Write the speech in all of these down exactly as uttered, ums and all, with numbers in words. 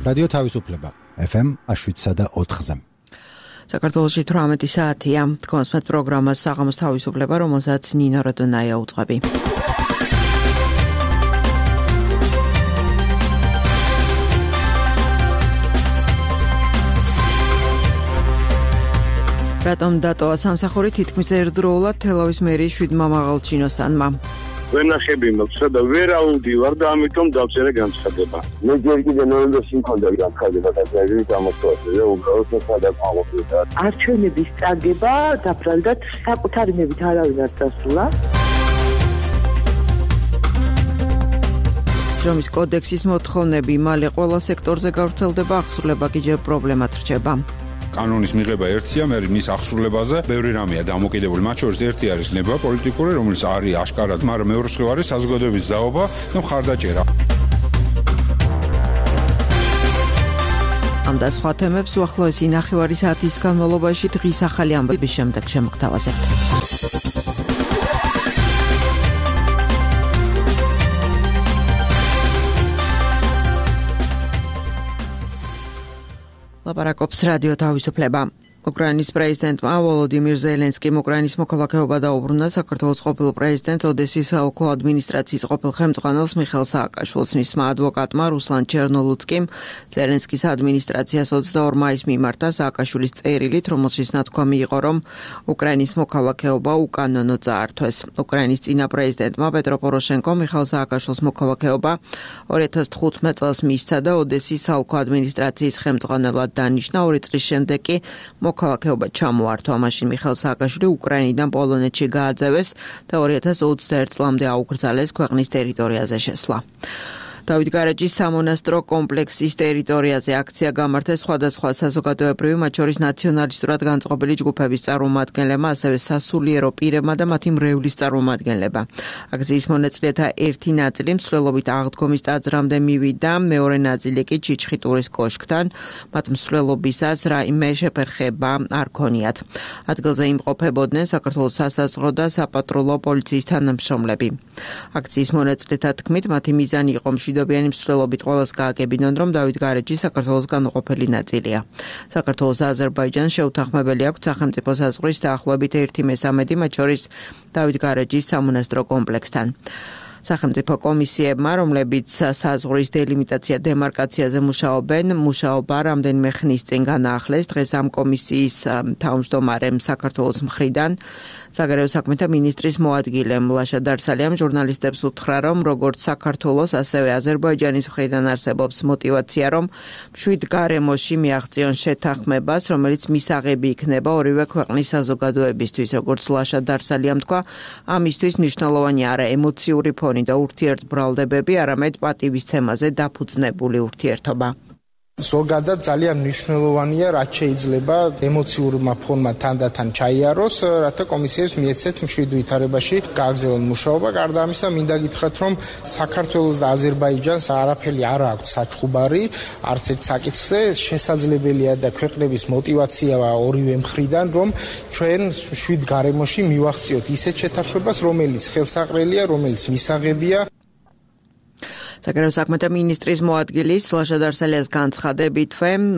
რადიო თავისუფლება ეფ ემ შვიდსა და ოთხზე. საქართველოში თვრამეტი საათია. კონსმეთ პროგრამას საღამოს თავისუფლება, რომელსაც ნინო როდონაია უძღვები. რატომ დატოვა სამსახური თითქმის ერთდროულად თელავის მერიის შვიდმა მაღალჩინოსანმა? ვენახები მაქვს და ვერ აუდივარ და ამიტომ დავწერე განცხადება. მე ჯერ კიდე ნოემბერში მქონდა განცხადება და ეს გამოსვლაზე და უბრალოდ სადაც აღმოჩნდა. არჩევნების წარგება დაბრალდათ საკუთარი ნებით არავინ არ დასრულა. ჯომის კოდექსის მოთხოვნები მალე ყველა სექტორზე გავრცელდება, აღსრულება კი ჯერ პრობლემად რჩება. კანონის მიღება ერთია, მე მის აღსრულებაზე ბევრი რამეა დამოკიდებული. მათ შორის ერთი არის ნება პოლიტიკური, რომელიც არის აშკარად, მაგრამ მეორე მხრივ არის საზოგადოების ზაობა და მხარდაჭერა. ამ და სხვა თემებს უახლოესი ნახევარი საათის განმავლობაში დღის ახალი ამბების შემდეგ შემოგთავაზებთ. ლაპარაკობს რადიო თავისუფლება. უკრაინის პრეზიდენტმა ვოლოდიმირ ზელენსკიმ უკრაინის მოქალაქეობა დაუბრუნდა საქართველოს ყოფილ პრეზიდენტს ოდესის საოლქო ადმინისტრაციის ყოფილ ხელმძღვანელს მიხეილ სააკაშვილს. მისმა ადვოკატმა რუსლან ჩერნოლუცკიმ ზელენსკის ადმინისტრაციას ოცდაორ მაისს მიმართა სააკაშვილის წერილით, რომელშიც ნათქვამი იყო, რომ უკრაინის მოქალაქეობა უკანონო წაართვეს. უკრაინის წინა პრეზიდენტმა პეტრო პოროშენკომ მიხეილ სააკაშვილის მოქალაქეობა ორი ათას თხუთმეტ წელს მისცა და ოდესის საოლქო ადმინისტრაციის ხელმძღვანელად დანიშნა. ორი წლის შემდეგ კი მოქალაქეობა ჩამოართვა. მაშინ მიხეილ სააკაშვილი უკრაინიდან პოლონეთში გააძევეს და ორი ათას ოცდაერთ წლამდე აუკრძალეს ქვეყნის ტერიტორიაზე შესვლა. დავით გარეჯის სამონასტრო კომპლექსის ტერიტორიაზე აქცია გამართეს სხვადასხვა საზოგადოებრივი, მათ შორის ნაციონალისტურად განწყობილი ჯგუფების წარმომადგენლებმა, ასევე სასულიერო პირებმა და მათი მრევლის წარმომადგენლებმა. აქციის მონაწილეთა ერთი ნაწილი მსვლელობით აღდგომის ტაძრამდე მივიდა, მეორე ნაწილი კი ჩიჩხიტურის კოშკთან. მათ მსვლელობისაც რაიმე შეფერხება არ ქონიათ. ადგილზე იმყოფებოდნენ საქართველოს სასაზღვრო და საპატრულო პოლიციის თანამშრომლები. აქციის მონაწილეთა თქმით, მათი მიზანი იყო მშვიდობიანი მსვლელობით ყველას გააგებინონ, რომ დავით გარეჯი საქართველოს განუყოფელი ნაწილია. საქართველოს და აზერბაიჯანს შეუთანხმებელი აქვს სახელმწიფო საზღვრის დაახლოებით ერთი მესამედი, მათ შორის დავით გარეჯის სამონასტრო კომპლექსთან. სახელმწიფო კომისიებმა, რომლებიც საზღვრის დელიმიტაცია დემარკაციაზე მუშაობენ, მუშაობა რამდენიმე ხნის წინ განაახლეს. დღეს ამ კომისიის თავმჯდომარემ საქართველოს მხრიდან საგარეო საქმეთა მინისტრის მოადგილემ ლაშა დარსალიამ ჟურნალისტებს უთხრა, რომ როგორც საქართველოს, ასევე აზერბაიჯანის მხრიდან არსებობს მოტივაცია, რომ მშვიდ გარემოში მიაღწიონ შეთანხმებას, რომელიც მისაღები იქნება ორივე ქვეყნის საზოგადოებისთვის. როგორც ლაშა დარსალიამ თქვა, ამისთვის მნიშვნელოვანი არა ემოციური ფონი და ურთიერთბრალდებები, არამედ პატივისცემაზე დაფუძნებული ურთიერთობა. ზოგადად ძალიან მნიშვნელოვანია, რაც შეიძლება ემოციურმა ფონმა თანდათან ჩაიაროს, რათა კომისიებს მიეცეთ მშვიდ ვითარებაში გააგრძელონ მუშაობა. გარდა ამისა, მინდა გითხრათ, რომ საქართველოს და აზერბაიჯანს არაფერი არ აქვს საჩხუბარი, არც ერთ საკითხზე. შესაძლებელია და ქვეყნების მოტივაციაა ორივე მხრიდან, რომ ჩვენ მშვიდ გარემოში მივახციოთ ისეთ შეთანხმებას, რომელიც ხელსაყრელია, რომელიც მისაღებია. საგარეო საქმეთა მინისტრის მოადგილის ლაშა დარსალიას განცხადებით,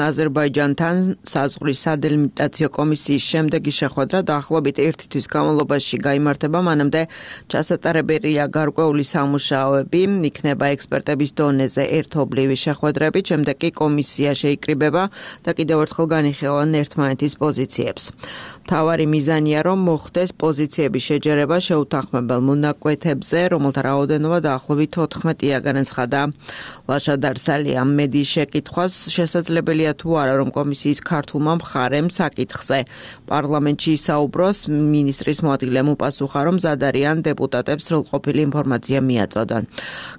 აზერბაიჯანთან საზღვრის სადელიმიტაციო კომისიის შემდეგი შეხვედრა დაახლოებით ერთი თვის განმავლობაში გაიმართება, მანამდე ჩასატარებელია გარკვეული სამუშაოები, იქნება ექსპერტების დონეზე ერთობლივი შეხვედრები, შემდეგ კი კომისია შეიკრიბება და კიდევ ერთხელ განიხილავენ ერთმანეთის პოზიციებს. მთავარი მიზანია, რომ მოხდეს პოზიციების შეჯერება შეუთანხმებელ მონაკვეთებზე, რომელთა რაოდენობა დაახლოებით თოთხმეტია, განაცხადა ლაშა დარსალიამ. მედიის შეკითხვას შესაძლებელია თუ არა, რომ კომისიის ქართულმა მხარემ საკითხზე პარლამენტში ისაუბროს, მინისტრის მოადგილემ უპასუხა, რომ მზად არიან დეპუტატებს სრულყოფილი ინფორმაცია მიაწოდონ.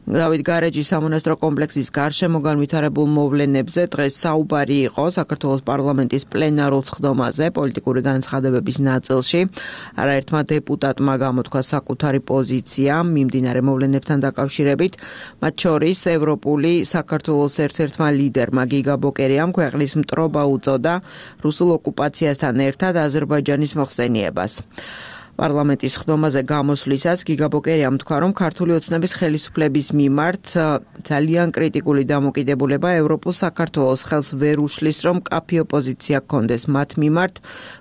დავით გარეჯის სამონასტრო კომპლექსის გარშემო განვითარებულ მოვლენებზე დღეს საუბარი იყო საქართველოს პარლამენტის პლენარულ სხდომაზე პოლიტიკური განცხადებების ნაწილში. არაერთმა დეპუტატმა გამოთქვა საკუთარი პოზიცია მიმდინარე მოვლენებთან დაკავშირებით, მათ შორის ევროპული საქართველოს ერთ-ერთმა ლიდერმა გიგა ბოკერიამ ქვეყნის მტრობა უწოდა რუსულ ოკუპაციასთან ერთად აზერბაიჯანის მოხსენიებას. პარლამენტის ხდომაზე გამოსვლისას გიგაბოკერიამ თქვა, რომ ქართული ოცნების ხელისუფლების მიმართ ძალიან კრიტიკული დამოკიდებულება ევროპულ საქართველოს ხელს ვერ უშლის, რომ კაფე ოპოზიცია გქონდეს მათ მიმართ,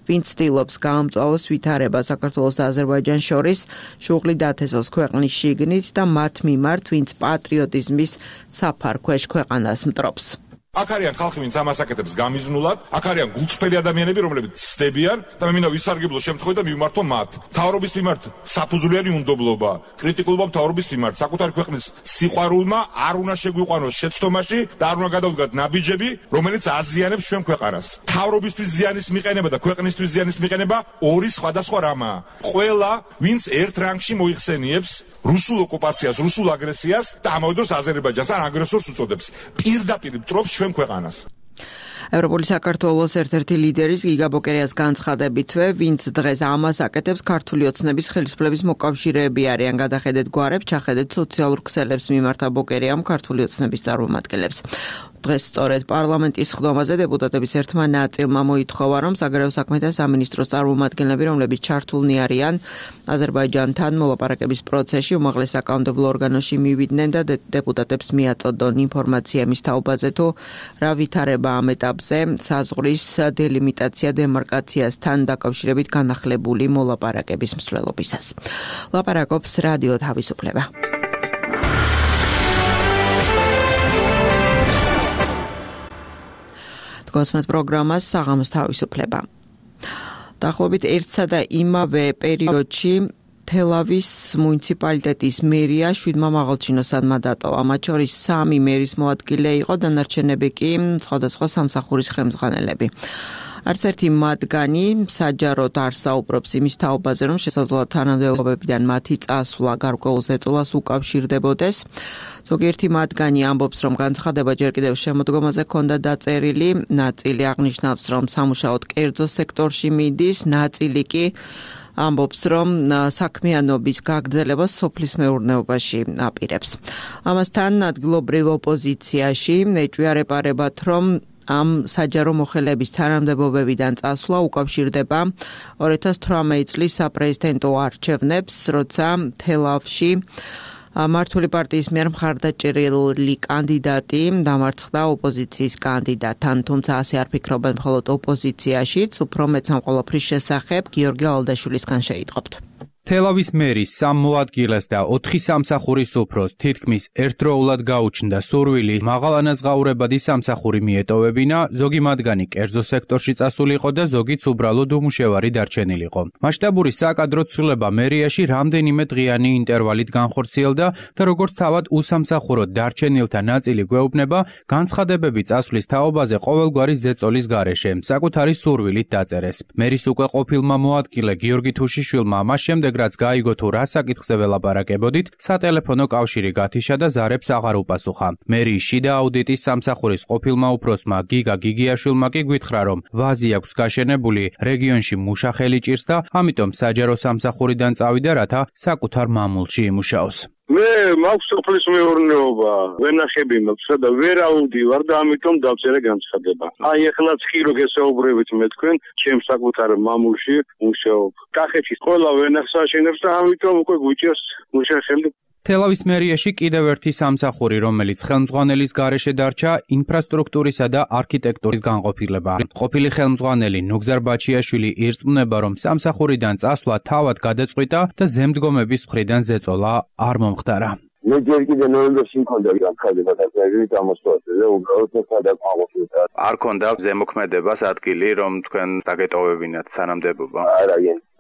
ვინც ცდილობს გაამწვავოს ვითარება საქართველოს და აზერბაიჯანს შორის, შუღლი დათესოს ქვეყნის შიგნით და მათ მიმართ, ვინც პატრიოტიზმის საფარქვეშ ქვეყანას მტრობს. აქ არიან ხალხი, ვინც ამას აკეთებს გამიზნულად, აქ არიან გულწრფელი ადამიანები, რომლებიც ცდებიან და მე მინდა ვისარგებლო შემთხვევით და მივმართო მათ. მთავრობის მიმართ საფუძვლიანი უნდობლობა, კრიტიკულობა მთავრობის მიმართ, საკუთარი ქვეყნის სიყვარულმა არ უნდა შეგვიყვანოს შეცდომაში და არ უნდა გადავდგათ ნაბიჯები, რომელიც აზიანებს ჩვენ ქვეყანას. მთავრობისთვის ზიანის მიყენება და ქვეყნისთვის ზიანის მიყენება ორი სხვადასხვა რამაა. ყველა, ვინც ერთ რანგში მოიხსენიებს რუსულ ოკუპაციას, რუსულ აგრესიას და ამავე დროს აზერბაიჯანს ან აგრესორს უწოდებს. პირდაპირ მტრობს ჩვენ ქვეყანას. ევროპული საქართველოს ერთ-ერთი ლიდერის გიგაბოკერიას განცხადებითვე, ვინც დღეს ამას აკეთებს ქართული ოცნების ხელისუფლების მოკავშირეები არიან. გადახედეთ გვარებს, ჩახედეთ სოციალურ ქსელებს, მიმართა ბოკერიამ ქართული ოცნების წარმომადგენლებს. დღეს სწორედ პარლამენტის ხდომაზე დეპუტატების ერთმა ნაწილმა მოითხოვა, რომ საგარეო საქმეთა სამინისტროს წარმომადგენლები, რომლებიც ჩართულნი არიან აზერბაიჯანთან მოლაპარაკების პროცესში, უმაღლეს საკანონმდებლო ორგანოში მივიდნენ და დეპუტატებს მიაწოდონ ინფორმაცია მის თაობაზე, თუ რა ვითარება ამ ეტაპზე საზღვრის დელიმიტაცია დემარკაციასთან დაკავშირებით განახლებული მოლაპარაკების მსვლელობისას. ლაპარაკობს რადიო თავისუფლება. გოსმეთ პროგრამას საღამოს თავისუფლება. დაახლოებით ერთსა და იმავე პერიოდში თელავის მუნიციპალიტეტის მერია შვიდმა მაღალჩინოსანმა დატოვა. მათ შორის სამი მერის მოადგილე იყო, დანარჩენები კი სხვადასხვა სამსახურის ხელმძღვანელები. არც ერთი მათგანი საჯაროდ არ საუბრობს იმის თაობაზე, რომ შესაძლოა თანამდებობებიდან მათი წასვლა გარკვეულ ზეწოლას უკავშირდებოდეს. ზოგიერთი მათგანი ამბობს, რომ განცხადება ჯერ კიდევ შემოდგომაზე ჰქონდა დაწერილი, ნაწილი აღნიშნავს, რომ სამუშაოდ კერძო სექტორში მიდის, ნაწილი კი ამბობს, რომ საქმიანობის გაგრძელებას სოფლის მეურნეობაში აპირებს. ამასთან ადგილობრივ ოპოზიციაში ეჭვიარეპარებათ, რომ ამ საჯარო მოხელების თანამდებობებიდან წასვლა უკავშირდება ორი ათას თვრამეტი წლის საპრეზიდენტო არჩევნებს, როცა თელავში მართული პარტიის მიერ მხარდაჭერილი კანდიდატი დამარცხდა ოპოზიციის კანდიდატთან, თუმცა ასე არ ფიქრობენ მხოლოდ ოპოზიციაშიც, უფრო მეც ამ ყველაფრის შესახებ გიორგი ალდაშვილისგან შეიტყობთ. თელავის მერის სამ მოადგილეს და ოთხი სამსახურის უფროს თითქმის ერთდროულად გაუჩნდა სურვილი მაღალანაზღაურებადი სამსახური მიეტოვებინა, ზოგი მათგანი კერძო სექტორში წასულიყო და ზოგიც უბრალოდ უმუშევარი დარჩენილიყო. მასშტაბური საკადრო ცვლილება მერიაში რამდენიმე დღიანი ინტერვალით განხორციელდა და როგორც თავად უსამსახუროდ დარჩენილთა ნაწილი გვეუბნება, განცხადებები წასვლის თაობაზე ყოველგვარი ზეწოლის გარეშე საკუთარი სურვილით დაწერეს. მერის უკვე ყოფილმა მოადგილე გიორგი თუშიშვილმა მას შემდეგ რაც გაიგო თუ რა საკითხზე ველაპარაკებოდით, სატელეფონო კავშირი გათიშა და ზარებს აღარ უპასუხა. მერიის შიდა აუდიტის სამსახურის ყოფილმა უფროსმა გიგა გიგიაშვილმა კი გვითხრა, რომ ვაზი აქვს გაშენებული, რეგიონში მუშა ხელი ჭირს და ამიტომ საჯარო სამსახურიდან წავიდა, რათა საკუთარ მამულში იმუშაოს. მე მაქვს სოფლის მეურნეობა, ვენახები მაქვს და ვერ აუდივარ და ამიტომ დავწერე განცხადება. აი ეხლაც ხირო გესაუბრებით მე თქვენ, ჩემ საკუთარ მამულში მუშაობ. კახეთში ყველა ვენახს აშენებს და ამიტომ უკვე გვიჭერს მუშა ხელი. თელავის მერიაში კიდევ ერთი სამსახური, რომელიც ხელმძღვანელის გარეშე დარჩა, ინფრასტრუქტურისა და არქიტექტურის განყოფილება. ყოფილი ხელმძღვანელი ნუგზარ ბაჩიაშვილი ირწმუნება, რომ სამსახურიდან წასვლა თავად გადაწყვიტა და ზემდგომების მხრიდან ზეწოლა არ მომხდარა. მე ჯერ კიდე ნოემბერში მქონდა განცხადება და ეგრეთ ამოსვლაზე და უბრალოდ სადაყავდა. არ ქონდა ზემოქმედებას ადგილი, რომ თქვენ დაგეტოვებინათ თანამდებობა. არა,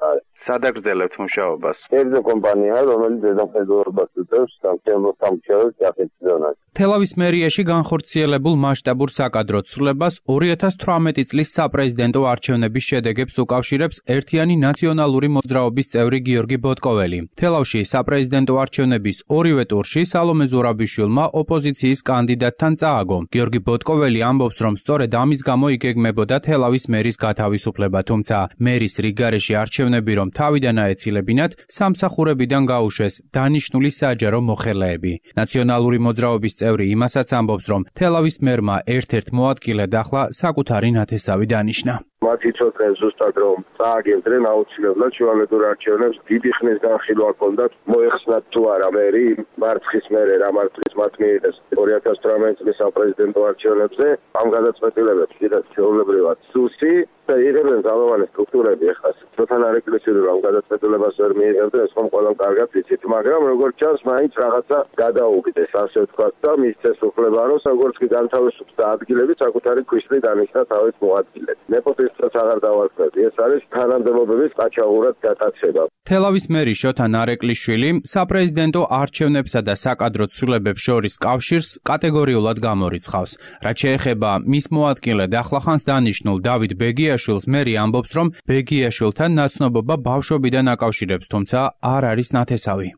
არა. სადაგრძელებთ მუშაობას? კერძო კომპანია, რომელიც ზედამხედველობას უწევს სამშენებლო სამუშაოებს კახეთის ზონაში. თელავის მერიაში განხორციელებულ მასშტაბურ საკადრო ცვლილებას ორი ათას თვრამეტი წლის საპრეზიდენტო არჩევნების შედეგებს უკავშირებს ერთიანი ნაციონალური მოძრაობის წევრი გიორგი ბოტკოველი. თელავში საპრეზიდენტო არჩევნების ორივე ტურში სალომე ზურაბიშვილმა ოპოზიციის კანდიდატთან წააგო. გიორგი ბოტკოველი ამბობს, რომ სწორედ ამის გამო იგეგმებოდა თელავის მერის გათავისუფლება, თუმცა მერის რიგგარეში არჩევნები რომ თავიდან აეცილებინათ, სამსახურებიდან გაუშვეს დანიშნული საჯარო მოხელეები. ნაციონალური მოძრაობის წევრი იმასაც ამბობს, რომ თელავის მერმა ერთ-ერთ მოადგილედ ახლა საკუთარი ნათესავი დანიშნა. მათ იცოდნენ ზუსტად რომ წააგებდნენ აუცილებლად შუალედურ არჩევნებს დიდი ხნის განხილვა ჰქონდათ მოეხსნათ თუ არა მერი მარცხის მერე რა მარცხის მათ მიიღეს ორი ათას თვრამეტი წლის საპრეზიდენტო არჩევნებზე ამ გადაწყვეტილებებს კიდევ ჩვეულებრივად სუსი და იღებენ ძალოვანი სტრუქტურები ახლა ცოტა არეკრესიულ ამ გადაწყვეტილებას ვერ მიიღებდნენ ეს ხომ ყველამ კარგად იცით მაგრამ როგორც ჩანს მაინც რაღაცა გადაუგდეს ასე ვთქვათ და მისცეს უფლება რომ როგორც კი განთავისუფლდა ადგილები საკუთარი ქვიშლი დანიშნა თავის მოადგილედ ნეპოტიზმსაც აღარ დავარქმევი ეს არის თანამდებობების ყაჩაღურად გატაცება თელავის მერი შოთა ნარეკვლიშვილი საპრეზიდენტო არჩევნებსა და საკადრო ცვლილებებს შორის კავშირს კატეგორიულად გამორიცხავს რაც შეეხება მის მოადგილედ ახლახანს დანიშნულ დავით ბეგიაშვილს მერი ამბობს რომ ბეგიაშვილთან ნაცნობობა ბავშვობიდან აკავშირებს თუმცა არ არის ნათესავი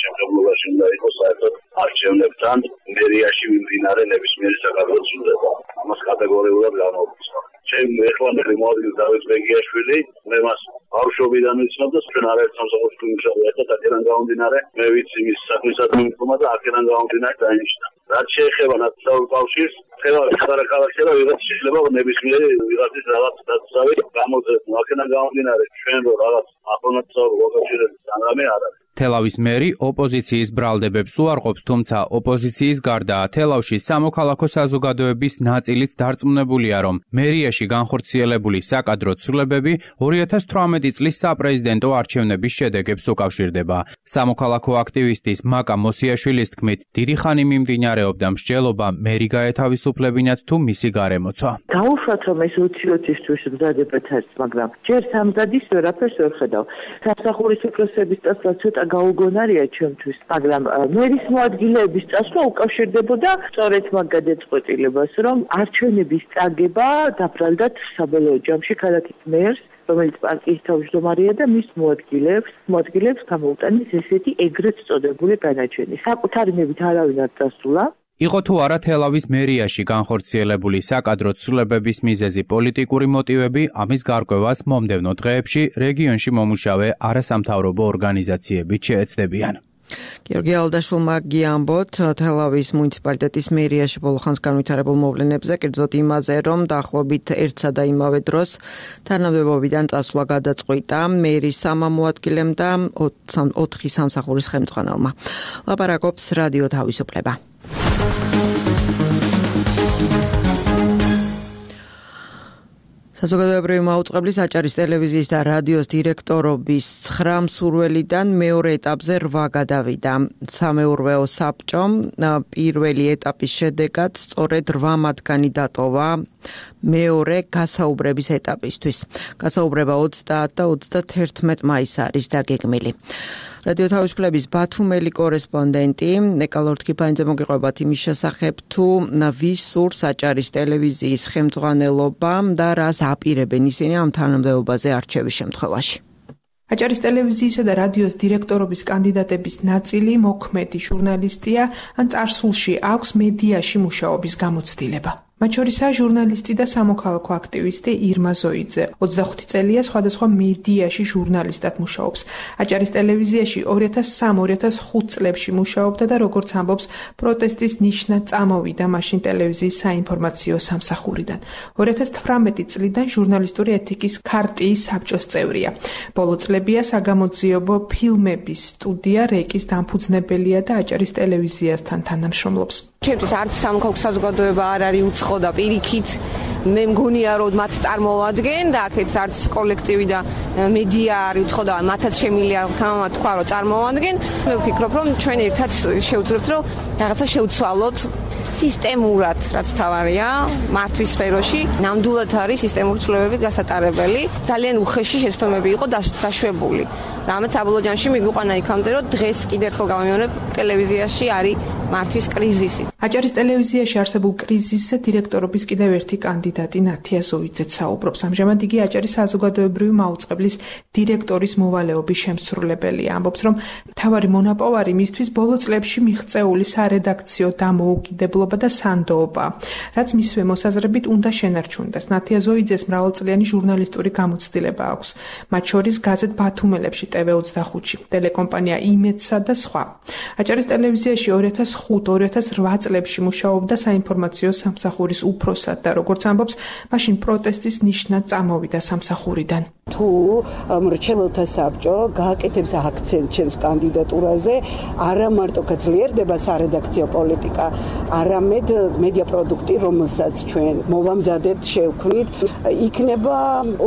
შემდგომობაში უნდა იყოს საერთოდ არჩევნებთან მერიაში მიმდინარე ნებისმიერი საკადრო ცვლილება ამას კატეგორიულად გამორიცხავ ჩემ ეხლანდელი მოადგილე დავით ბეგიაშვილი მე მას ბავშვობიდან ვიცნობ და ჩვენ არაერთ სამსახურში ვიმუშავე და აქედან გამომდინარე მე ვიცი მის საქმისად მიმდგომა და აქედან გამომდინარე დაინიშნა რაც შეეხება ნაცნობ კავშირს ხელავი ხარაკალახი და ვიღაც შეიძლება ნებისმიერი ვიღაცის რაღაც დაწესავი გამოძებნა აქედან გამომდინარე ჩვენ რო რაღაც აფონაცავ ლოკაციების სანამე არ არის თელავის მერი ოპოზიციის ბრალდებებს უარყოფს, თუმცა ოპოზიციის გარდა თელავში სამოქალაქო საზოგადოების ნაწილიც დარწმუნებულია, რომ მერიაში განხორციელებული საკადრო ცვლილებები ორი ათას თვრამეტი წლის საპრეზიდენტო არჩევნების შედეგებს უკავშირდება. სამოქალაქო აქტივისტის მაკა მოსიაშვილის თქმით, დიდი ხანი მიმდინარეობდა მსჯელობა მერი გაეთავისუფლებინათ თუ მისი გარემოცვა. Დაუშვათ რომ ეს ოცი-ოცისთვის მზადებათ არის, მაგრამ ჯერ სამზადის ვერაფერს ვერ ხედავ. სამსახურის უფლებების წასვლა ცოტა გაუგონარია ჩემთვის, მაგრამ მერის მოადგილეების წასვლა უკავშირდებოდა სწორედ მაგ გადაწყვეტილებას, რომ არჩევნების წაგება დაბრალდათ საბოლოო ჯამში ქალაქის მერს, რომელიც პარტიის თავმჯდომარეა და მის მოადგილეებს, მოადგილეებს გამოუტანეს ესეთი ეგრეთ წოდებული განაჩენი. საკუთარი მებით არავინ არ დასულა. იყო თუ არა თელავის მერიაში განხორციელებული საკადრო ცვლილებების მიზეზი პოლიტიკური მოტივები, ამის გარკვევას მომდევნო დღეებში რეგიონში მომუშავე არასამთავრობო ორგანიზაციებიც შეეცდებიან. გიორგი ალდაშვილმა გიამბოთ თელავის მუნიციპალიტეტის მერიაში ბოლოხანს განვითარებულ მოვლენებზე, კერძოდ იმაზე, რომ დაახლოებით ერთსა და იმავე დროს თანამდებობიდან წასვლა გადაწყვიტა მერის სამამოადგილემ და ოთხი სამსახურის ხელმძღვანელმა. ლაპარაკობს რადიო თავისუფლება. საზოგადოებრივი მაუწყებლის აჭარის ტელევიზიის და რადიოს დირექტორობის ცხრა მსურველიდან მეორე ეტაპზე რვა გადავიდა. სამეურვეო საბჭომ პირველი ეტაპის შედეგად სწორედ რვა მათგანი დატოვა მეორე გასაუბრების ეტაპისთვის. გასაუბრება ოცდაათ და ოცდათერთმეტ მაისს არის დაგეგმილი. რადიო თავისუფლების ბათუმელი კორესპონდენტი ნეკა ლორთქიფანიძე მოგიყვებათ იმის შესახებ, თუ ვის სურს აჭარის ტელევიზიის ხელმძღვანელობა და რას აპირებენ ისინი ამ თანამდებობაზე არჩევის შემთხვევაში. აჭარის ტელევიზიისა და რადიოს დირექტორობის კანდიდატების ნაწილი მოქმედი ჟურნალისტია, ან წარსულში აქვს მედიაში მუშაობის გამოცდილება. მათ შორისაა ჟურნალისტი და სამოქალაქო აქტივისტი ირმა ზოიძე. ოცდახუთი წელია სხვადასხვა მედიაში ჟურნალისტად მუშაობს. აჭარის ტელევიზიაში ორი ათას სამ ორი ათას ხუთ წლებში მუშაობდა და როგორც ამბობს, პროტესტის ნიშნად წამოვიდა მაშინ ტელევიზიის საინფორმაციო სამსახურიდან. ორი ათას თვრამეტი წლიდან ჟურნალისტური ეთიკის ქარტიის საბჭოს წევრია. ბოლო წლებია საგამოძიებო ფილმების სტუდია რეკის დამფუძნებელია და აჭარის ტელევიზიასთან თანამშრომლობს. ჩემთვის არც სამოქალაქო საზოგადოება არ არის უცხო და პირიქით მე მგონია რომ მათ წარმოვადგენ და აქეთ არც კოლექტივი და მედია არის უცხო და მათაც შემილია თამამად თქვა რომ წარმოვადგენ. მე ვფიქრობ რომ ჩვენ ერთად შევძლებთ რომ რაღაცა შევცვალოთ სისტემურად, რაც თავარია მართვის სფეროში, ნამდვილად არის სისტემური ცვლილებების გასატარებელი. ძალიან უხეში შეცდომები იყო დაშვებული. რამაც საბოლოო ჯამში მიგვიყვანა იქამდე, რომ დღეს კიდევ ერთხელ გავიმეორებ, ტელევიზიაში არის მართვის კრიზისი. აჭარის ტელევიზიაში არსებულ კრიზისზე დირექტორობის კიდევ ერთი კანდიდატი ნათია ზოიძეც საუბრობს. ამჟამად იგი აჭარის საზოგადოებრივი მაუწყებლის დირექტორის მოვალეობის შემსრულებელია. ამბობს, რომ მთავარი მონაპოვარი მისთვის ბოლო წლებში მიღწეული სარედაქციო დამოუკიდებლობა და სანდოობა, რაც მისვე მოსაზრებით უნდა შენარჩუნდეს. ნათია ზოიძეს მრავალწლიანი ჟურნალისტური გამოცდილება აქვს. მათ შორის გაზეთ ბათუმელებში ტე ვე ოცდახუთში, ტელეკომპანია იმედსა და სხვა. აჭარის ტელევიზიაში ორი ათას ხუთ ორი ათას რვა წლებში წლებში მუშაობდა საინფორმაციო სამსახურის უფროსად და როგორც ამბობს, მაშინ პროტესტის ნიშნად წამოვიდა სამსახურიდან. თუ მრჩეველთა საბჭო გააკეთებს აქცენტს ჩემს კანდიდატურაზე, არა მარტო გაძლიერდება სარედაქციო პოლიტიკა, არამედ მედია პროდუქტი, რომელსაც ჩვენ მოვამზადებთ, შევქმნით, იქნება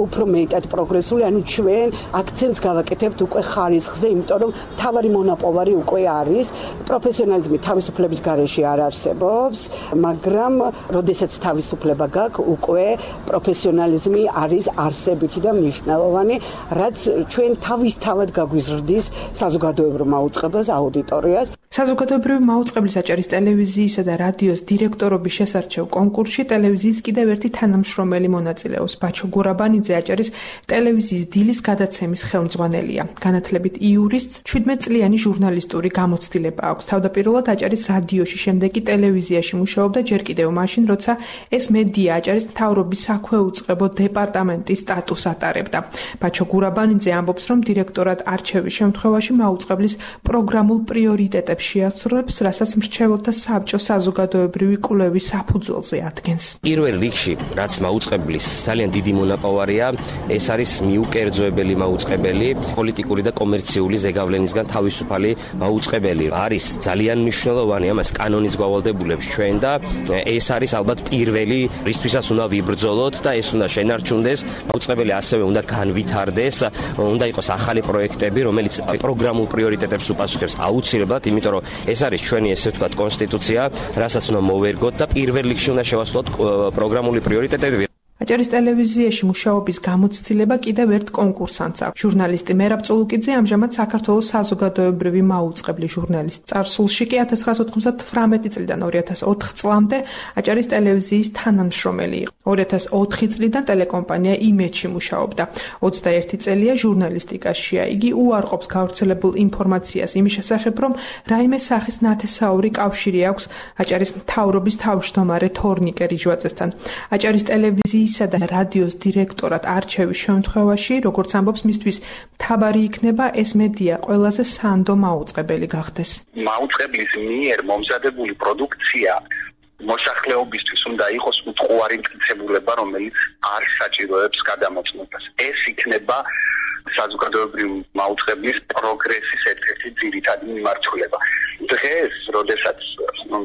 უფრო მეტად პროგრესული, ანუ ჩვენ აქცენტს გავაკეთებთ უკვე ხარისხზე, იმიტომ რომ თავარი მონაპოვარი უკვე არის, პროფესიონალიზმი თავისუფლების გარეშე არ არსებობს, მაგრამ როდესაც თავისუფლება გაქვს, უკვე პროფესიონალიზმი არის არსებითი და მნიშვნელოვანი, რაც ჩვენ თავისთავად გაგვიზრდის საზოგადოებრივ მაუწყებელს, აუდიტორიას. საზოგადოებრივი მაუწყებლის აჭარის ტელევიზიისა და რადიოს დირექტორობის შესარჩევ კონკურსში ტელევიზიის კიდევ ერთი თანამშრომელი მონაწილეობს. ბაჩო გურაბანიძე აჭარის ტელევიზიის დილის გადაცემის ხელმძღვანელია. განათლებით იურისტ, შვიდმეტწლიანი ჟურნალისტური გამოცდილება აქვს. თავდაპირველად აჭარის რადიოში, შემდეგ კი ტელევიზიაში მუშაობდა, ჯერ კიდევ მაშინ, როცა ეს მედია აჭარის მთავრობის საქვეუწყებო დეპარტამენტის სტატუსს ატარებდა. ბაჩო გურაბანიძე ამბობს, რომ დირექტორად არჩევის შემთხვევაში მაუწყებლის პროგრამულ პრიორიტეტებს შეასრულებს, რასაც მრჩეველთა საბჭო საზოგადოებრივი კვლევის საფუძველზე ადგენს. პირველ რიგში, რაც მაუწყებლის ძალიან დიდი მონაპოვარია, ეს არის მიუკერძოებელი მაუწყებელი, პოლიტიკური და კომერციული ზეგავლენისგან თავისუფალი მაუწყებელი. არის ძალიან მნიშვნელოვანი, ამას კანონის გვავალდებულებს ჩვენ და ეს არის ალბათ პირველი, რისთვისაც უნდა ვიბრძოლოთ და ეს უნდა შენარჩუნდეს. მაუწყებელი ასევე უნდა განვითარდეს, უნდა იყოს ახალი პროექტები, რომელიც პროგრამულ პრიორიტეტებს უპასუხებს აუცილებლად, იმიტომ რომ ეს არის ჩვენი ესე ვთქვათ კონსტიტუცია, რასაც უნდა მოვერგოთ და პირველ რიგში უნდა შევასრულოთ პროგრამული პრიორიტეტები. აჭარის ტელევიზიაში მუშაობის გამოცდილება კიდევ ერთ კონკურსანტს აქვს. ჟურნალისტი მერაბ წულუკიძე ამჟამად საქართველოს საზოგადოებრივი მაუწყებლის ჟურნალისტ. წარსულში კი ათას ცხრაასა ოცდაათი წლიდან ორი ათას ოთხ წლამდე აჭარის ტელევიზიის თანამშრომელი იყო. ორი ათას ოთხი წლიდან ტელეკომპანია იმედში მუშაობდა. ოცდაერთი წელია ჟურნალისტიკაშია. იგი უარყოფს გავრცელებულ ინფორმაციას იმის შესახებ, რომ რაიმე სახის ნათესაური კავშირი აქვს აჭარის მთავრობის თავმჯდომარე თორნიკე რიჟვაძესთან. აჭარის ტელევიზიის და რადიოს დირექტორად არჩევის შემთხვევაში, როგორც ამბობს, მისთვის მთავარი იქნება ეს მედია ყველაზე სანდო მაუწყებელი გახდეს. მაუწყებლის მიერ მომზადებული პროდუქცია მოსახლეობისთვის უნდა იყოს უთხოვარი მტკიცებულება, რომელიც არ საჭიროებს გადამოწმებას. ეს იქნება საზოგადოებრივი მაუწყებლის პროგრესის ერთ-ერთი ძირითადი მიმართულება. დღეს, როდესაც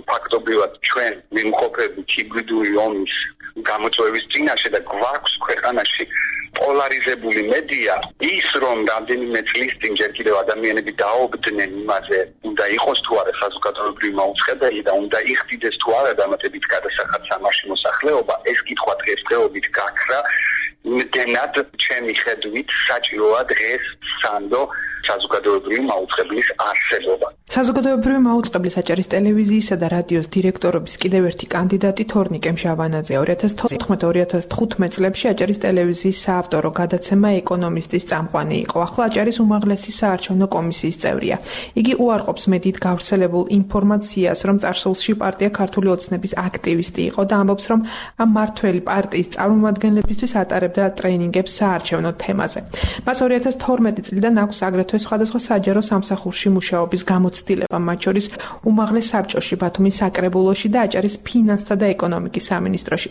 ფაქტობრივად ჩვენ ვიმყოფებით ჰიბრიდული ომის გამოწვევის წინაშე და გვაქვს ქვეყანაში პოლარიზებული მედია, ის რომ რამდენიმე წლის წინ ჯერ კიდევ ადამიანები დაობდნენ იმაზე, უნდა იყოს თუ არა საზოგადოებრივი მაუწყებელი და უნდა იხდიდეს თუ არა დამატებით გადასახად სამარში მოსახლეობა, ეს კითხვა დღესდღეობით გაქრა. იმდენად ჩემი ხედვით საჭიროა დღეს სანდო საზოგადოებრივი მაუწყებლის არსებობა. საზოგადოებრივი მაუწყებლის აჭარის ტელევიზიისა და რადიოს დირექტორობის კიდევ ერთი კანდიდატი თორნიკე მჟავანაძე. ორი ათას თოთხმეტ ორი ათას თხუთმეტ წლებში აჭარის ტელევიზიის საავტორო გადაცემა ეკონომისტის წამყვანი იყო. ახლა აჭარის უმაღლესი საარჩევნო კომისიის წევრია. იგი უარყოფს მედიით გავრცელებულ ინფორმაციას, რომ წარსულში პარტია ქართული ოცნების აქტივისტი იყო და ამბობს, რომ ამ მართველი პარტიის წარმომადგენლებისთვის ატარებდა ტრეინინგებს საარჩევნო თემაზე. მას ორი ათას თორმეტი წლიდან აქვს აგრეთვე სხვადასხვა საჯარო სამსახურში მუშაობის გამოცდილება, მათ შორის უმაღლეს საბჭოში, ბათუმის საკრებულოში და აჭარის ფინანსთა და ეკონომიკის სამინისტროში.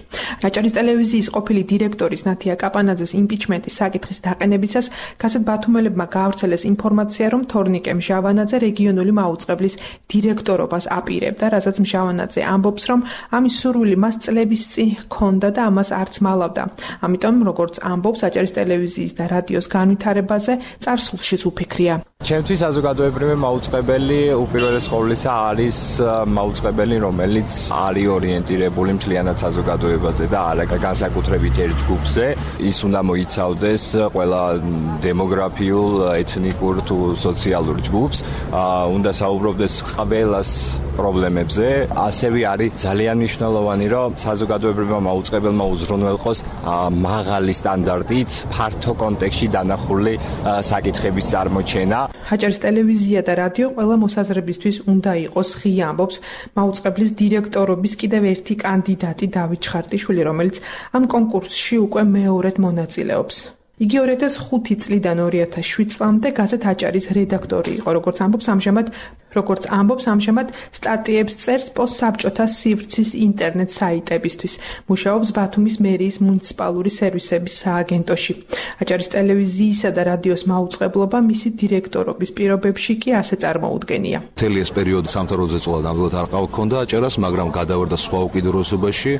აჭარის ტელევიზიის ყოფილი დირექტორის ნათია კაპანაძეს იმპიჩმენტის საკითხის დაყენებისას გაზეთ ბათუმელებმა გაავრცელეს ინფორმაცია, რომ თორნიკე მჟავანაძე რეგიონული მაუწყებლის დირექტორობას აპირებდა, რასაც მჟავანაძე ამბობს, რომ ამის სურვილი მას წლების წინ ჰქონდა და ამას არც მალავდა. ამიტომ, როგორც ამბობს, აჭარის ტელევიზიის და რადიოს განვითარებაზე წარსულშიც უფიქრია. ჩემთვის საზოგადოებრივი მაუწყებელი უპირველეს ყოვლისა არის მაუწყებელი, რომელიც არის ორიენტირებული მთლიანად საზოგადოებაზე და არა განსაკუთრებით ერთ ჯგუფზე. ის უნდა მოიცავდეს ყველა დემოგრაფიულ, ეთნიკურ თუ სოციალურ ჯგუფს, უნდა საუბრობდეს ყველას პრობლემებზე. ასევე არის ძალიან მნიშვნელოვანი, რომ საზოგადოებრივმა მაუწყებელმა უზრუნველყოს მაღალი სტანდარტით ფართო კონტექსტში დანახული საკითხების წარმოჩენა. აჭარის ტელევიზია და რადიო ყველა მოსაზრებისთვის უნდა იყოს ღია, ამბობს მაუწყებლის დირექტორობის კიდევ ერთი კანდიდატი დავით ჩხარტიშვილი, რომელიც ამ კონკურსში უკვე მეორედ მონაწილეობს. იგი ორი ათას ხუთი წლიდან ორი ათას შვიდ წლამდე გაზეთ აჭარის რედაქტორი იყო, როგორც ამბობს ამჟამად როგორც ამბობს, ამჟამად სტატიებს წერს პოსტსაბჭოთა სივრცის ინტერნეტ საიტებისთვის. მუშაობს ბათუმის მერიის მუნიციპალური სერვისების სააგენტოში. აჭარის ტელევიზიისა და რადიოს მაუწყებლობა მისი დირექტორობის პირობებში კი ასე წარმოუდგენია. მთელი ეს პერიოდი სამთავროზე წვლა ნამდვილად არ ყავქონდა აჭარას, მაგრამ გადავარდა სხვა უკიდურესობაში.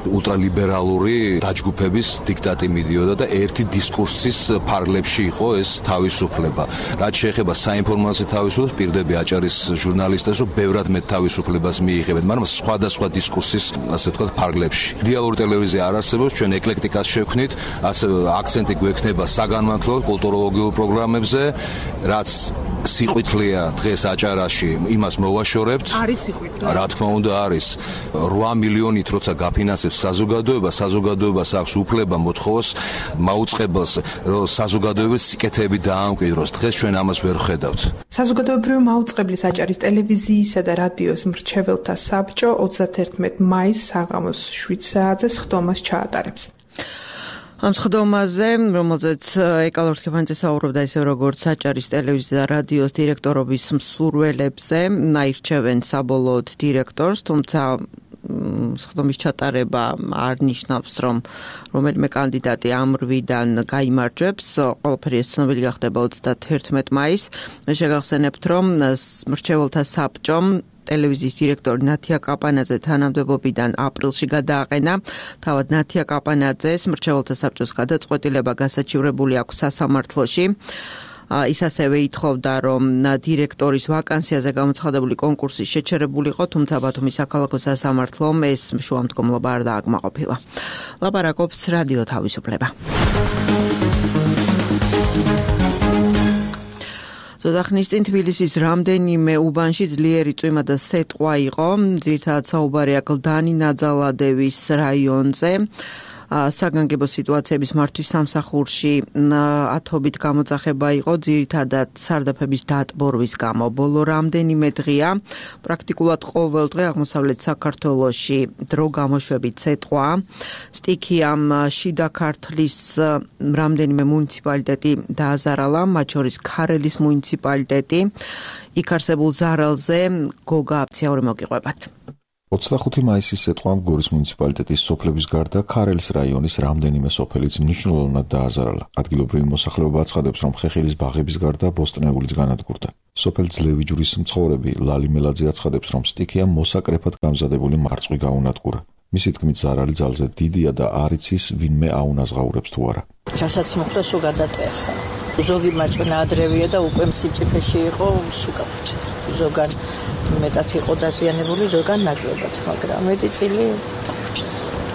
ულტრალიბერალური დაჯგუფების დიქტატი მიდიოდა და ერთი დისკურსის ფარგლებში იყო ეს თავისუფლება. რაც შეეხება საინფორმაციო თავისუფლებას, პირდები აჭარის ჟურნალისტებს, რომ ბევრად მეტ თავისუფლებას მიიღებენ, მაგრამ სხვადასხვა დისკურსის, ასე ვთქვათ, ფარგლებში. იდეალური ტელევიზია არ არსებობს, ჩვენ ეკლექტიკას შევქმნით, ასევე აქცენტი გვექნება საგანმანათლებლო კულტუროლოგიურ პროგრამებზე, რაც სიყვითლეა დღეს აჭარაში, იმას მოვაშორებთ. არის სიყვითლე. რა თქმა უნდა არის. რვა მილიონით როცა გაფინანსებს საზოგადოება, საზოგადოებას აქვს უფლება მოთხოვოს მაუწყებელს, რომ საზოგადოების სიკეთეები დაამკვიდროს. დღეს ჩვენ ამას ვერ ხედავთ. საზოგადოებრივი მაუწყებლის აჭარის ტელევიზიისა და რადიოს მრჩეველთა საბჭო ოცდაათერთმეტ მაისს საღამოს შვიდ საათზე სხდომას ჩაატარებს. ამ სხდომაზე, რომელზეც ეკალორთქეფანიძე საუბრობდა, ისე როგორც აჭარის ტელევიზიის და რადიოს დირექტორობის მსურველებზე, აირჩევენ საბოლოოდ დირექტორს, თუმცა სხდომის ჩატარება არ ნიშნავს, რომ რომელიმე კანდიდატი ამ რვიდან გაიმარჯვებს. ყველაფერი ეს ცნობილი გახდება ოცდაათერთმეტ მაისს. მე შეგახსენებთ, რომ მრჩეველთა საბჭომ ტელევიზიის დირექტორი ნათია კაპანაძე თანამდებობიდან აპრილში გადააყენა. თავად ნათია კაპანაძეს მრჩეველთა საბჭოს გადაწყვეტილება გასაჩივრებული აქვს სასამართლოში. ის ასევე ითხოვდა, რომ დირექტორის ვაკანსიაზე გამოცხადებული კონკურსი შეჩერებულიყო, თუმცა ბათუმის საქალაქო სასამართლომ ეს შუამდგომლობა არ დააკმაყოფილა. ლაპარაკობს რადიო თავისუფლება. ზოდახნის წინ თბილისის რამდენიმე უბანში ძლიერი წვიმა და სეტყვა იყო, ძირითადად საუბარია გლდანი ნაძალადევის რაიონზე. საგანგებო სიტუაციების მართვის სამსახურში ათობით გამოძახება იყო, ძირითადად სარდაფების დატბორვის გამო. ბოლო რამდენიმე დღეა პრაქტიკულად ყოველ დღე აღმოსავლეთ საქართველოში დრო გამოშვებით სეტყვა. სტიქიამ შიდა ქართლის რამდენიმე მუნიციპალიტეტი დააზარალა, მათ შორის ქარელის მუნიციპალიტეტი. იქ არსებულ ზარალზე გოგა აფციაური მოგიყვებათ. ოცდახუთი მაისის სეტყვამ გორის მუნიციპალიტეტის სოფლების გარდა ქარელის რაიონის რამდენიმე სოფელიც მნიშვნელოვნად დააზარალა. ადგილობრივი მოსახლეობა აცხადებს, რომ ხეხილის ბაღების გარდა ბოსტნეულიც განადგურდა. სოფელ ძლევიჯვრის მცხოვრები ლალი მელაძე აცხადებს, რომ სტიქიამ მოსაკრეფად გამზადებული მარწყვი გაუნადგურა. მისი თქმით, ზარალი ძალზე დიდია და არ იცის ვინმე აუნაზღაურებს თუ არა. რასაც მოხდა სულ გადატეხა. ზოგი მარწყვენა ადრევია და უკვე მწიფეში იყო, სულ გაუჩნდა. ზოგან მეტად იყო დაზიანებული, ზოგან ნაკლებად, მაგრამ მეტი წილი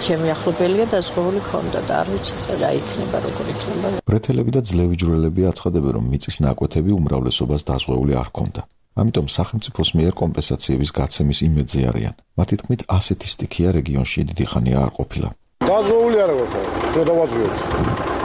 ჩემი ახლობელია დაზღვეული ქონდა და არ ვიცი რა იქნება, როგორ იქნება. ბრეთელები და ძლევიჯვრელები აცხადებენ, რომ მიწის ნაკვეთები უმრავლესობას დაზღვეული არ ქონდა. ამიტომ სახელმწიფოს მიერ კომპენსაციების გაცემის იმედზე არიან. მათი თქმით, ასეთი სტიქია რეგიონში დიდი ხანია არ ყოფილა. დაზღვეული არ ვარ, რო დავაძვიოთ.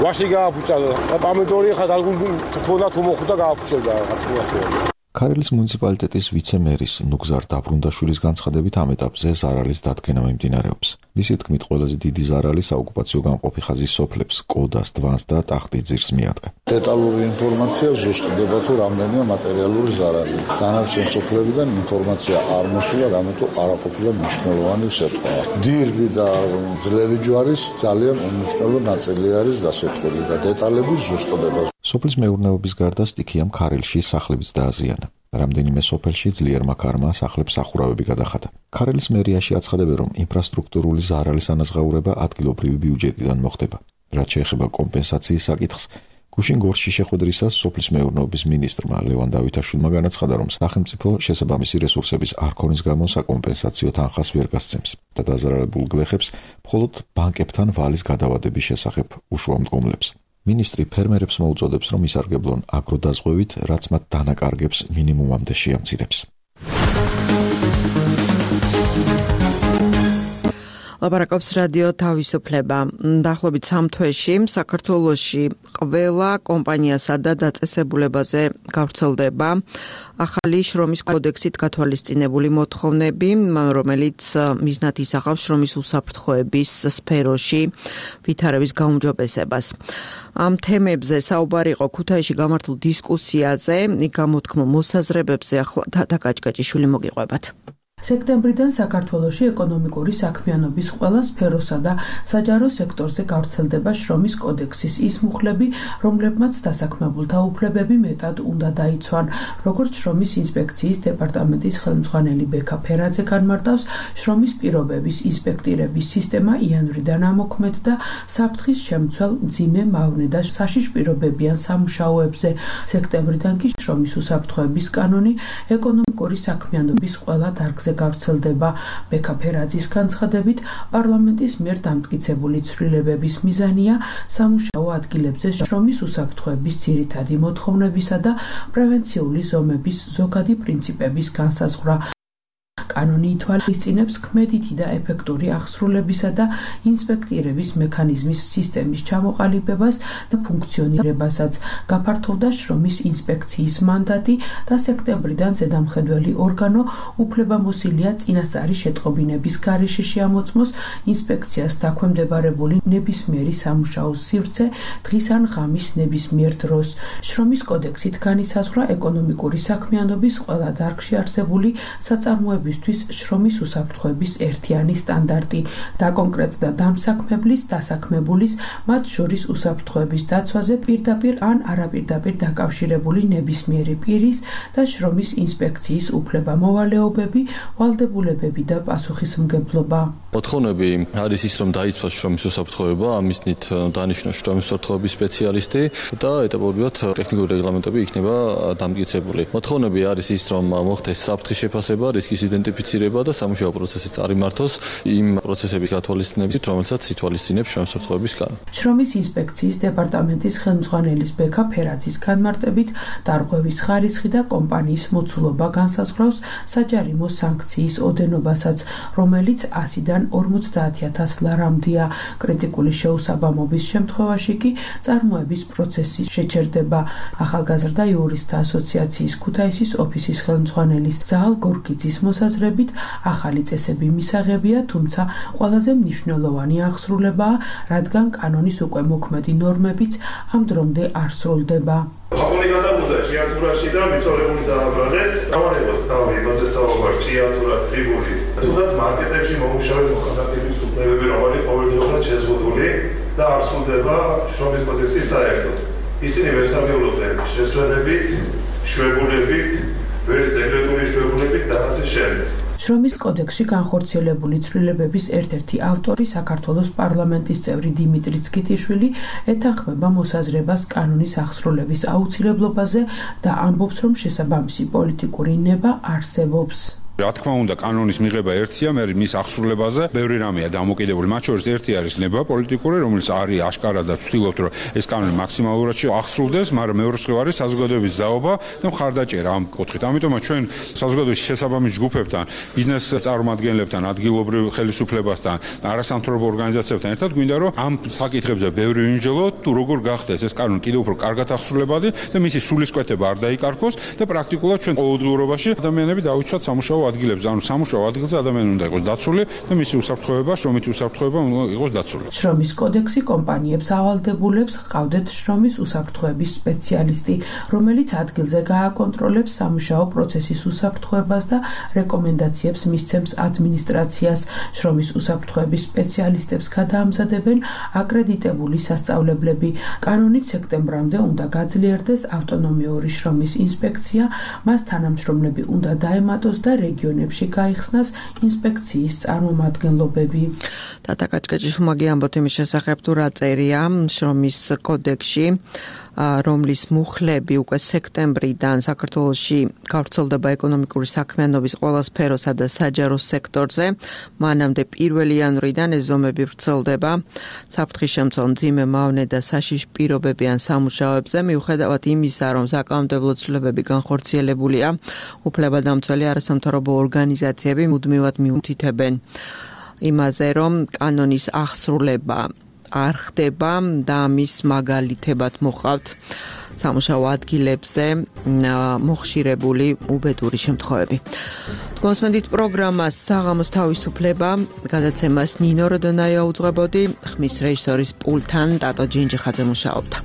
ვაში გააფუჭა და პომიდორი ხა დაგული ქონდა თუ მოხვდა გააფუჭებდა რაღაცა. ქარელის მუნიციპალიტეტის ვიცე-მერის ნუგზარ დაბრუნდაშვილის განცხადებით ამ ეტაპზე ზარალის დადგენა მიმდინარეობს. მისი თქმით, ყველაზე დიდი ზარალი საოკუპაციო გამყოფი ხაზის სოფლებს, კოდას, დვანს და ტახტიძირს მიადგა. დეტალური ინფორმაცია ზუსტდება თუ რამდენია მატერიალური ზარალი. დანარჩენ სოფლებიდან ინფორმაცია არ მოსულა, რამეთო არაყოფილა მნიშვნელოვანი სეტყვა. დირბი და ძლევი ჯვარის ძალიან უმნიშვნელო ნაწილი არის დასეტყვილი და დეტალები ზუსტდება. სოფლის მეურნეობის გარდა სტიქიამ ქარელში სახლებიც დააზიანა. რამდენიმე სოფელში ძლიერმა ქარმა სახლებს სახურავები გადახადა. ქარელის მერიაში აცხადებენ, რომ ინფრასტრუქტურული ზარალის ანაზღაურება ადგილობრივი ბიუჯეტიდან მოხდება. რაც შეეხება კომპენსაციის საკითხს, გუშინ გორში შეხვედრისას სოფლის მეურნეობის მინისტრმა ლევან დავითაშვილმა განაცხადა, რომ სახელმწიფო შესაბამისი რესურსების არ ქონის გამო საკომპენსაციო თანხას ვერ გასცემს და დაზარალებულ გლეხებს მხოლოდ ბანკებთან ვალის გადავადების შესახებ უშუამდგომლებს. მინისტრი ფერმერებს მოუწოდებს, რომ ისარგებლონ აგროდაზღვევით, რაც მათ დანაკარგებს მინიმუმამდე შეამცირებს. ლაპარაკობს რადიო თავისუფლება. დაახლოებით სამ თვეში საქართველოში ყველა კომპანიასა და დაწესებულებაზე გავრცელდება ახალი შრომის კოდექსით გათვალისწინებული მოთხოვნები, რომელიც მიზნად ისახავს შრომის უსაფრთხოების სფეროში ვითარების გაუმჯობესებას. ამ თემებზე საუბარი იყო ქუთაისში გამართულ დისკუსიაზე, იქ გამოთქმულ მოსაზრებებზე ახლა თათა კაჭკაჭიშვილი მოგიყვებათ. სექტემბრიდან საქართველოში ეკონომიკური საქმიანობის ყველა სფეროსა და საჯარო სექტორზე გავრცელდება შრომის კოდექსის ის მუხლები, რომლებმაც დასაქმებულთა უფლებები მეტად უნდა დაიცვან. როგორც შრომის ინსპექციის დეპარტამენტის ხელმძღვანელი ბექა ფერაძე განმარტავს, შრომის პირობების ინსპექტირების სისტემა იანვრიდან ამოქმედდა საფრთხის შემცველ, მძიმე, მავნე და საშიშ პირობებიან სამუშაოებზე. სექტემბრიდან კი შრომის უსაფრთხოების კანონი ეკონომიკური საქმიანობის ყველა დარგზე გავრცელდება. ბექა ფერაძის განცხადებით, პარლამენტის მიერ დამტკიცებული ცვლილებების მიზანია სამუშაო ადგილებზე შრომის უსაფრთხოების ძირითადი მოთხოვნებისა და პრევენციული ზომების ზოგადი პრინციპების განსაზღვრა. კანონი ითვალისწინებს ქმედითი და ეფექტური აღსრულებისა და ინსპექტირების მექანიზმის სისტემის ჩამოყალიბებას და ფუნქციონირებასაც. გაფართოვდა შრომის ინსპექციის მანდატი და სექტემბრიდან ზედამხედველი ორგანო უფლებამოსილია წინასწარი შეტყობინების გარეშე შეამოწმოს ინსპექციას დაქვემდებარებული ნებისმიერი სამუშაოს სივრცე დღის ან ღამის ნებისმიერ დროს. შრომის კოდექსით განისაზღვრა ეკონომიკური საქმიანობის ყველა დარგში არსებული საწარმოებისთვის შრომის უსაფრთხოების ერთიანი სტანდარტი. დაკონკრეტდა დამსაქმებლის, დასაქმებულის, მათ შორის უსაფრთხოების დაცვაზე პირდაპირ ან არაპირდაპირ დაკავშირებული ნებისმიერი პირის და შრომის ინსპექციის უფლება-მოვალეობები, ვალდებულებები და პასუხისმგებლობა. მოთხოვნები არის ის, რომ დაიცვას შრომის უსაფრთხოება, ამისნით დანიშნოს შრომის უსაფრთხოების სპეციალისტი და ეტაპობრივად ტექნიკური რეგლამენტები იქნება დამტკიცებული. მოთხოვნები არის ის, რომ მოხდეს საფრთხის შეფასება, რისკის იდენტიფიცირება და სამუშაო პროცესი წარიმართოს იმ პროცესების გათვალისწინებით, რომელსაც ითვალისწინებს შრომის უსაფრთხოების კანონი. შრომის ინსპექციის დეპარტამენტის ხელმძღვანელის ბექა ფერაძის განმარტებით, დარღვევის ხარისხი და კომპანიის მოცულობა განსაზღვრავს საჯარიმო სანქციის ოდენობასაც, რომელიც ასიდან ორმოცდაათი ათას ლარამდეა. კრიტიკული შეუსაბამობის შემთხვევაში კი წარმოების პროცესი შეჩერდება. ახალგაზრდა იურისტთა ასოციაციის ქუთაისის ოფისის ხელმძღვანელის ზაალ გორგიძის მოსაზრებით, ახალი წესები მისაღებია, თუმცა ყველაზე მნიშვნელოვანი აღსრულებაა, რადგან კანონის უკვე მოქმედი ნორმებიც ამ დრომდე არ სრულდება. აკონი გადავიდა ჭიათურაში და მიწორებული დააბრაზეს. დავარებოთ თავი იმაზე საუბარ ჭიათურა ტრიბული. თუნდაც მარკეტებში მომუშავე მოქალაქეების უფლებები რომელი ყოველდღიურად შეზღუდული და არ სრულდება შრომის კოდექსის საერთოდ. ისინი ვერსაგებულობენ შესვენებით, შვებულებით, ვერც დეკრეტული შვებულებით და ასე შემდეგ. შრომის კოდექსში განხორციელებული ცვლილებების ერთ-ერთი ავტორი საქართველოს პარლამენტის წევრი დიმიტრი ცქიტიშვილი ეთანხმება მოსაზრებას კანონის აღსრულების აუცილებლობაზე და ამბობს, რომ შესაბამისი პოლიტიკური ნება არსებობს. რა თქმა უნდა, კანონის მიღება ერთია, მე მის აღსრულებაზე ბევრი რამეა დამოკიდებული. მათ შორის ერთი არის ნება პოლიტიკური, რომელიც არის აშკარად და ვცდილობთ, რომ ეს კანონი მაქსიმალურად აღსრულდეს, მაგრამ მეორე მხრივ არის საზოგადოების ზაობა და მხარდაჭერა ამ კუთხით. ამიტომაც ჩვენ საზოგადოების შესაბამის ჯგუფებთან, ბიზნეს წარმომადგენლებთან, ადგილობრივ ხელისუფლებასთან, არასამთავრობო ორგანიზაციებთან ერთად გვინდა, რომ ამ საკითხებზე ბევრი ვიმსჯელოთ, თუ როგორ გახდეს ეს კანონი კიდევ უფრო კარგად აღსრულებადი და მისი სულისკვეთება არ დაიკარგოს და პრაქტიკულად ჩვენ ყოველდღიურობაში ადამიანები დავიცვათ სამუშაო ადგილებზე, ანუ სამუშაო ადგილზე ადამიანი უნდა იყოს დაცული და მისი უსაფრთხოება, შრომითი უსაფრთხოება უნდა იყოს დაცული. შრომის კოდექსი კომპანიებს ავალდებულებს ჰყავდეთ შრომის უსაფრთხოების სპეციალისტი, რომელიც ადგილზე გააკონტროლებს სამუშაო პროცესის უსაფრთხოებას და რეკომენდაციებს მისცემს ადმინისტრაციას. შრომის უსაფრთხოების სპეციალისტებს გადაამზადებენ აკრედიტებული სასწავლებლები. კანონით სექტემბრამდე უნდა გაძლიერდეს ავტონომიური შრომის ინსპექცია, მას თანამშრომლები უნდა დაემატოს და რეგიონებში გაიხსნას ინსპექციის წარმომადგენლობები. თათა კაჭკაჭიშვილმა ამბობთ იმის შესახებ, თუ რა წერია შრომის კოდექსში, რომლის მუხლები უკვე სექტემბრიდან საქართველოში გავრცელდება ეკონომიკური საქმიანობის ყველა სფეროსა და საჯარო სექტორზე. მანამდე პირველი იანვრიდან ეს ზომები ვრცელდება საფრთხის შემცველ, მძიმე, მავნე და საშიშ პირობებიან სამუშაოებზე, მიუხედავად იმისა, რომ საკანონმდებლო ცვლილებები განხორციელებულია, უფლებადამცველი არასამთავრობო ორგანიზაციები მუდმივად მიუთითებენ იმაზე, რომ კანონის აღსრულება არ ხდება და მის მაგალითებად მოყავთ სამუშაო ადგილებზე მოხშირებული უბედური შემთხვევები. კონსმენდით პროგრამას საღამოს თავისუფლება, გადაცემას ნინო როდონაია უძღვებოდი, ხმის რეჟისორის პულთან ტატო ჯინჯიხაძე მუშაობდა.